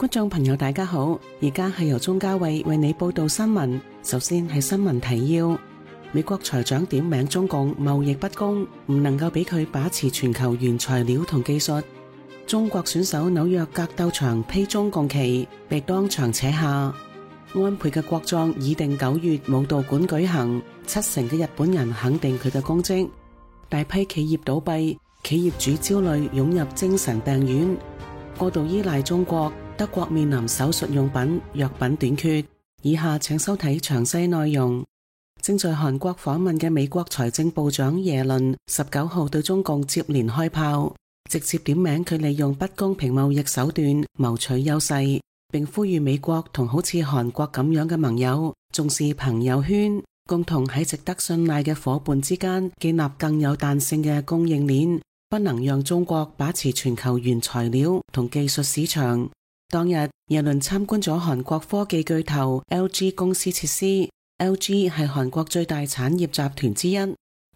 觀眾朋友大家好，而家係由鍾嘉慧為你報道新聞。首先係新聞提要：美國財長點名中共貿易不公，唔能夠俾佢把持全球原材料同技術。中國選手紐約格鬥場披中共旗，被當場扯下。安倍嘅國葬擬定9月武道館舉行，70%嘅日本人肯定佢嘅功績。大批企業倒閉，企業主焦慮湧入精神病院。過度依賴中國，德國面臨手術用品、藥品短缺。以下請收睇詳細內容。正在韓國訪問嘅美國財政部長耶倫19號對中共接連開炮，直接點名佢利用不公平貿易手段謀取優勢，並呼籲美國同好似韓國咁樣嘅盟友重視朋友圈，共同喺值得信賴嘅夥伴之間建立更有彈性嘅供應鏈。不能讓中國把持全球原材料同技術市場。當日，耶倫參觀咗韓國科技巨頭 LG 公司設施。LG 係韓國最大產業集團之一。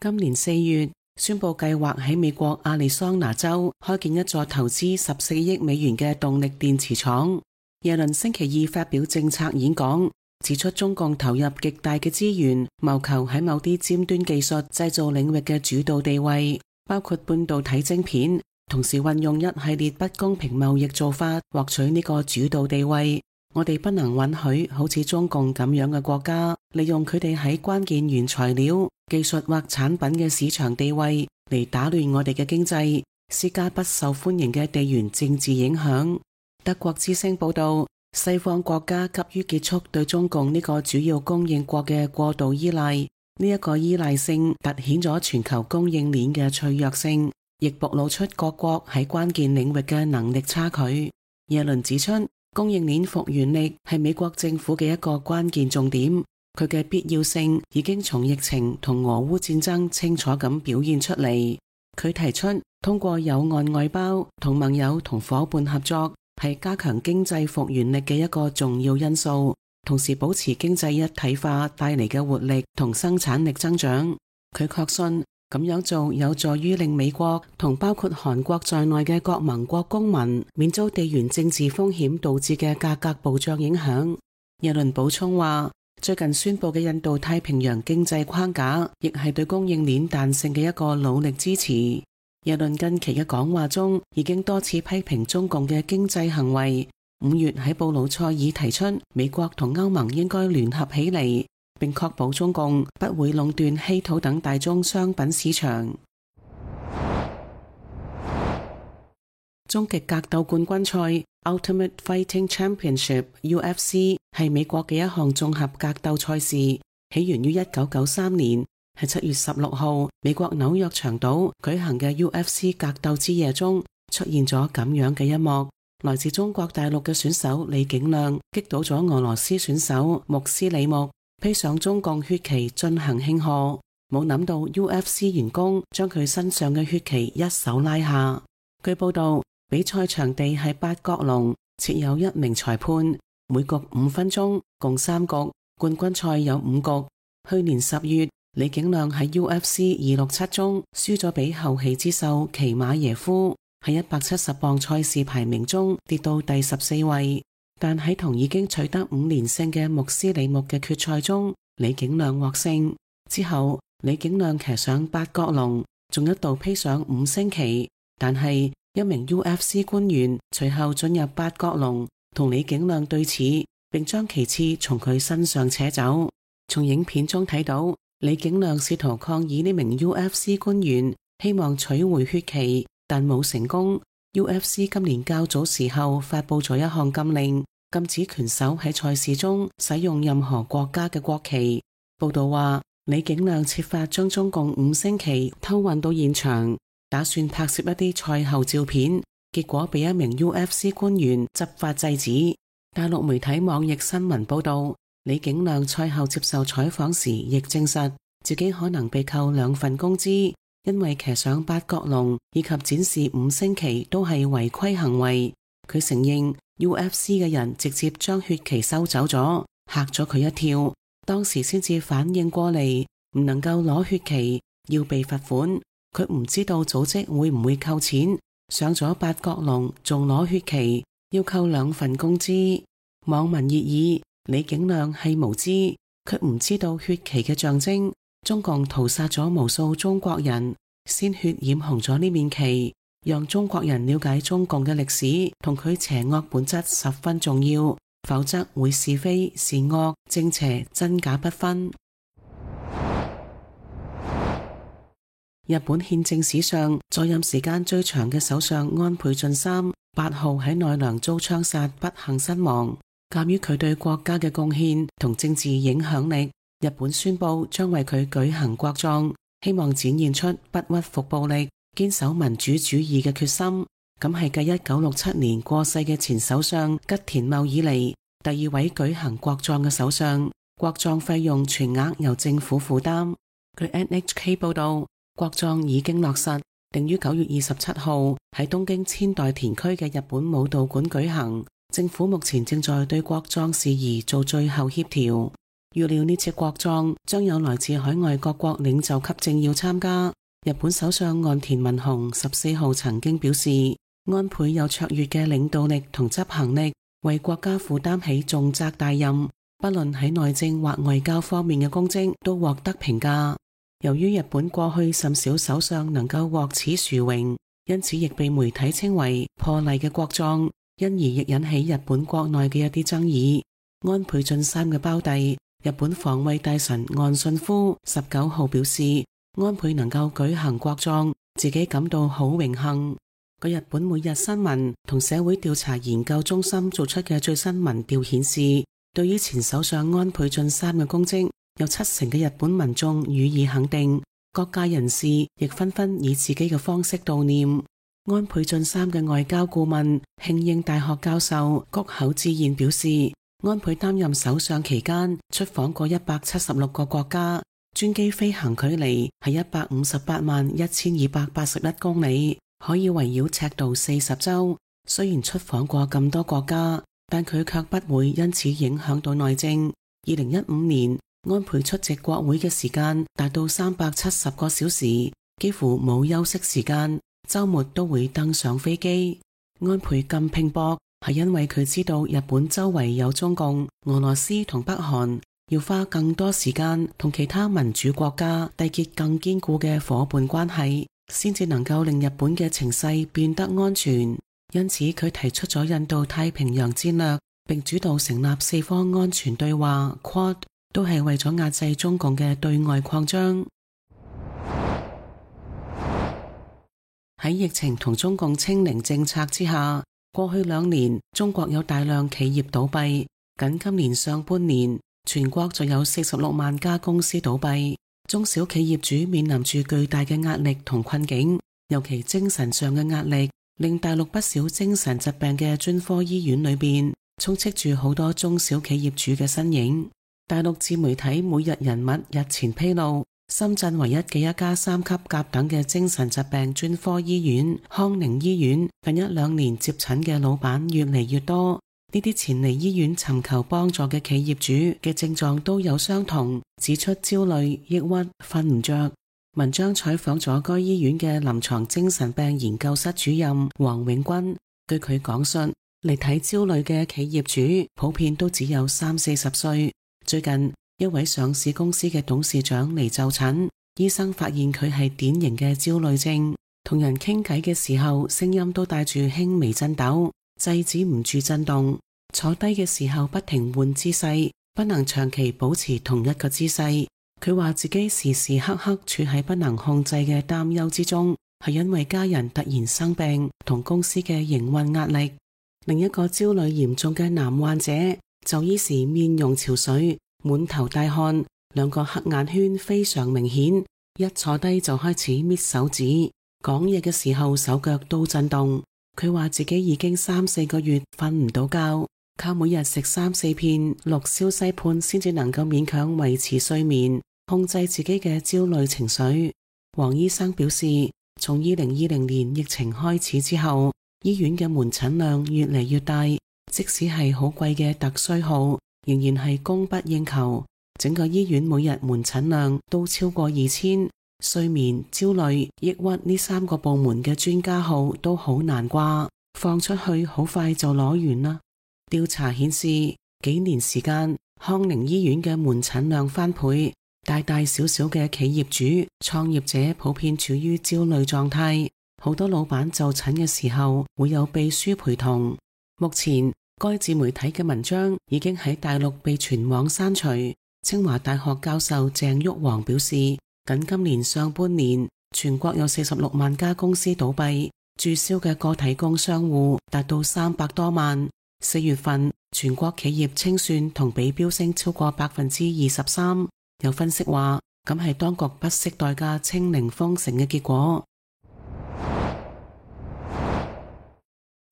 今年4月，宣布計劃喺美國亞利桑那州開建一座投資14億美元嘅動力電池廠。耶倫星期二發表政策演講，指出中共投入極大嘅資源，謀求喺某啲尖端技術製造領域嘅主導地位，包括半導體晶片，同時運用一系列不公平貿易做法獲取呢個主導地位。我哋不能允許好似中共咁樣嘅國家利用佢哋喺關鍵原材料、技術或產品嘅市場地位嚟打亂我哋嘅經濟，施加不受歡迎嘅地緣政治影響。德國之聲報道，西方國家急於結束對中共呢個主要供應國嘅過度依賴。呢一個依賴性凸顯咗全球供應鏈嘅脆弱性，亦暴露出各國喺關鍵領域嘅能力差距。耶倫指出，供應鏈復原力係美國政府嘅一個關鍵重點，佢嘅必要性已經從疫情同俄烏戰爭清楚咁表現出嚟。佢提出，通過友岸外包同盟友同夥伴合作，係加強經濟復原力嘅一個重要因素。同時保持經濟一體化帶嚟嘅活力同生產力增長。佢確信咁樣做有助於令美國同包括韓國在內嘅各盟國公民免遭地緣政治風險導致嘅價格暴漲影響。耶倫補充話，最近宣布嘅印度太平洋經濟框架亦係對供應鏈彈性嘅一個努力支持。耶倫近期嘅講話中已經多次批評中共嘅經濟行為。5月喺布魯塞爾提出，美國同歐盟應該聯合起嚟，並確保中共不會壟斷稀土等大宗商品市場。終極格鬥冠軍賽 Ultimate Fighting Championship UFC 係美國嘅一項綜合格鬥賽事，起源於1993年，喺7月16號美國紐約長島舉行嘅 UFC 格鬥之夜中出現咗咁樣嘅一幕。來自中國大陸嘅選手李景亮擊倒咗俄羅斯選手穆斯里木，披上中共血旗進行慶賀。冇諗到 UFC 員工將佢身上嘅血旗一手拉下。據報道，比賽場地係八角籠，設有1名裁判，每局5分鐘，共3局。冠軍賽有5局。去年10月，李景亮喺 UFC 267中輸咗俾後起之秀奇馬耶夫。喺170磅賽事排名中跌到第14位，但喺同已經取得5連勝嘅穆斯里木嘅決賽中，李景亮獲勝。之後，李景亮騎上八角籠，仲一度披上5星旗，但係一名 UFC 官員隨後進入八角籠，同李景亮對峙，並將旗幟從佢身上扯走。從影片中睇到，李景亮試圖抗議呢名 UFC 官員，希望取回血旗，但冇成功。UFC 今年較早時候發佈咗一項禁令，禁止拳手喺賽事中使用任何國家嘅國旗。報道話，李景亮設法將中共5星旗偷運到現場，打算拍攝一啲賽後照片，結果被一名 UFC 官員執法制止。大陸媒體網易新聞報道，李景亮賽後接受採訪時亦證實自己可能被扣2份工資。因為騎上八角籠以及展示5星旗都係違規行為，佢承認 UFC 嘅人直接將血旗收走咗，嚇咗佢一跳。當時先至反應過嚟，唔能夠攞血旗，要被罰款。佢唔知道組織會唔會扣錢，上咗八角籠仲攞血旗，要扣2份工資。網民熱議李景亮係無知，佢唔知道血旗嘅象徵，中共屠殺咗無數中國人，鮮血染紅咗呢面旗，讓中國人了解中共嘅歷史同佢邪惡本質十分重要，否則會是非善惡正邪真假不分。日本憲政史上在任時間最長嘅首相安倍晉三8號喺奈良遭槍殺不幸身亡。鑒於佢對國家嘅貢獻同政治影響力，日本宣布將為佢舉行國葬，希望展現出不屈服暴力、堅守民主主義嘅決心。咁係繼1967年過世嘅前首相吉田茂以嚟第2位舉行國葬嘅首相。國葬費用全額由政府負擔。據 NHK 報道，國葬已經落實，定於9月27號喺東京千代田區嘅日本武道館舉行。政府目前正在對國葬事宜做最後協調，預料呢次國葬將有來自海外各國領袖級政要參加。日本首相岸田文雄14號曾經表示，安倍有卓越嘅領導力同執行力，為國家負擔起重責大任，不論喺內政或外交方面嘅功績都獲得評價。由於日本過去甚少首相能夠獲此殊榮，因此亦被媒體稱為破例嘅國葬，因而亦引起日本國內嘅一啲爭議。安倍晉三嘅胞弟日本防衛大臣岸信夫19號表示，安倍能夠舉行國葬，自己感到好榮幸。據日本每日新聞同社會調查研究中心做出嘅最新民調顯示，對於前首相安倍晉三嘅功績，有70%嘅日本民眾予以肯定，各界人士亦紛紛以自己嘅方式悼念。安倍晉三嘅外交顧問慶應大學教授谷口智彥表示，安倍擔任首相期間出訪過176個國家，專機飛行距離係1581281公里，可以圍繞赤道40周。雖然出訪過咁多國家，但佢卻不會因此影響到內政。2015年，安倍出席國會嘅時間達到370個小時，幾乎冇休息時間，週末都會登上飛機。安倍咁拼搏，係因為佢知道日本周圍有中共、俄羅斯同北韓，要花更多時間同其他民主國家締結更堅固嘅夥伴關係，先至能夠令日本嘅情勢變得安全。因此佢提出咗印度太平洋戰略，並主導成立4方安全對話 Quad， 都係為咗壓制中共嘅對外擴張。喺疫情同中共清零政策之下，過去2年中國有大量企業倒閉，僅今年上半年全國就有46萬家公司倒閉。中小企業主面臨住巨大嘅壓力同困境，尤其精神上嘅壓力，令大陸不少精神疾病嘅專科醫院裏邊充斥住好多中小企業主嘅身影。大陸自媒體每日人物日前披露，深圳唯一嘅一家3級甲等嘅精神疾病專科醫院康寧醫院，近1-2年接診嘅老闆越嚟越多。呢啲前嚟醫院尋求幫助嘅企業主嘅症狀都有相同，指出焦慮、抑鬱、瞓唔着。文章採訪咗該醫院嘅臨床精神病研究室主任黃永軍，據佢講述，嚟睇焦慮嘅企業主普遍都只有30-40歲。最近一位上市公司嘅董事長嚟就診，醫生發現佢係典型嘅焦慮症，同人傾偈嘅時候聲音都帶住輕微震抖，制止唔住震動，坐低嘅時候不停換姿勢，不能長期保持同一個姿勢。佢話自己時時刻刻處喺不能控制嘅擔憂之中，係因為家人突然生病同公司嘅營運壓力。另一個焦慮嚴重嘅男患者就醫時面容憔悴，滿頭大汗，2個黑眼圈非常明顯，一坐低就開始搣手指，講嘢嘅時候手腳都震動。佢話自己已經3-4個月瞓唔到覺，靠每日食3-4片氯硝西泮先至能夠勉強維持睡眠，控制自己嘅焦慮情緒。黃醫生表示，從2020年疫情開始之後，醫院嘅門診量越嚟越大，即使係好貴嘅特需號，仍然係供不應求。整個醫院每日門診量都超過2000，睡眠、焦慮、抑鬱呢3個部門嘅專家號都好難掛。放出去好快就攞完啦。調查顯示，幾年時間，康寧醫院嘅門診量翻倍，大大小小嘅企業主、創業者普遍處於焦慮狀態。好多老闆就診嘅時候會有秘書陪同。目前，該自媒體嘅文章已經喺大陸被全網刪除。清華大學教授鄭旭煌表示，僅今年上半年，全國有46萬家公司倒閉，註銷嘅個體工商戶達到300多萬。4月份，全國企業清算同比飆升超過23%。有分析話，咁係當局不惜代價清零封城嘅結果。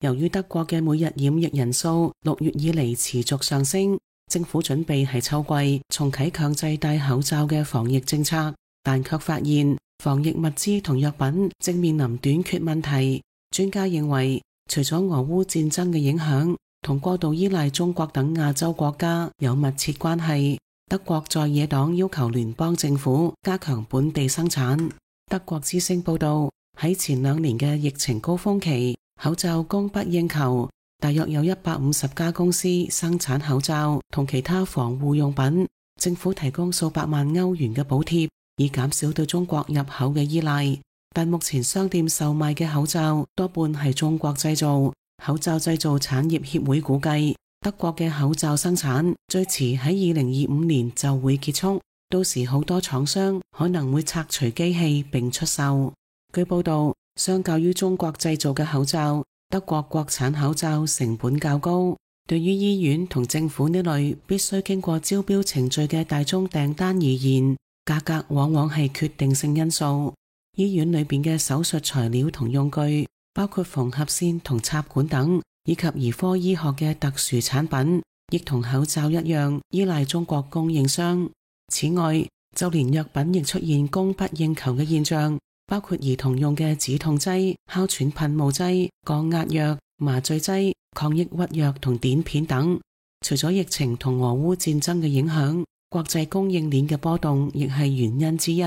由於德國嘅每日染疫人數6月以嚟持續上升，政府準備喺秋季重啟強制戴口罩嘅防疫政策，但卻發現防疫物資同藥品正面臨短缺問題。專家認為，除咗俄烏戰爭嘅影響，同過度依賴中國等亞洲國家有密切關係。德國在野黨要求聯邦政府加強本地生產。德國之聲報道，喺前2年嘅疫情高峰期，口罩供不應求，大約有150家公司生產口罩同其他防護用品，政府提供數百萬歐元嘅補貼，以減少對中國入口嘅依賴。但目前商店售賣嘅口罩多半係中國製造。口罩製造產業協會估計，德國嘅口罩生產最遲喺2025年就會結束，到時好多廠商可能會拆除機器並出售。據報道，相較於中國製造嘅口罩，德國國產口罩成本較高。對於醫院同政府呢類必須經過招標程序嘅大宗訂單而言，價格往往係決定性因素。醫院裏邊嘅手術材料同用具，包括縫合線同插管等，以及兒科醫學嘅特殊產品，亦同口罩一樣依賴中國供應商。此外，就連藥品亦出現供不應求嘅現象，包括兒童用嘅止痛劑、哮喘噴霧劑、降壓藥、麻醉劑、抗抑鬱藥同碘片等。除咗疫情同俄烏戰爭嘅影響，國際供應鏈嘅波動亦係原因之一。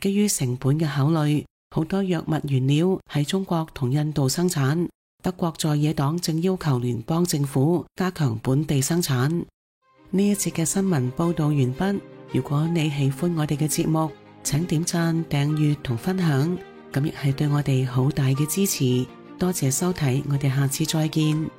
基於成本嘅考慮，好多藥物原料喺中國同印度生產。德國在野黨正要求聯邦政府加強本地生產。呢一節嘅新聞報道完畢。如果你喜歡我哋嘅節目，請點讚、訂閱同分享，咁亦係對我哋好大嘅支持。多謝收睇，我哋下次再見。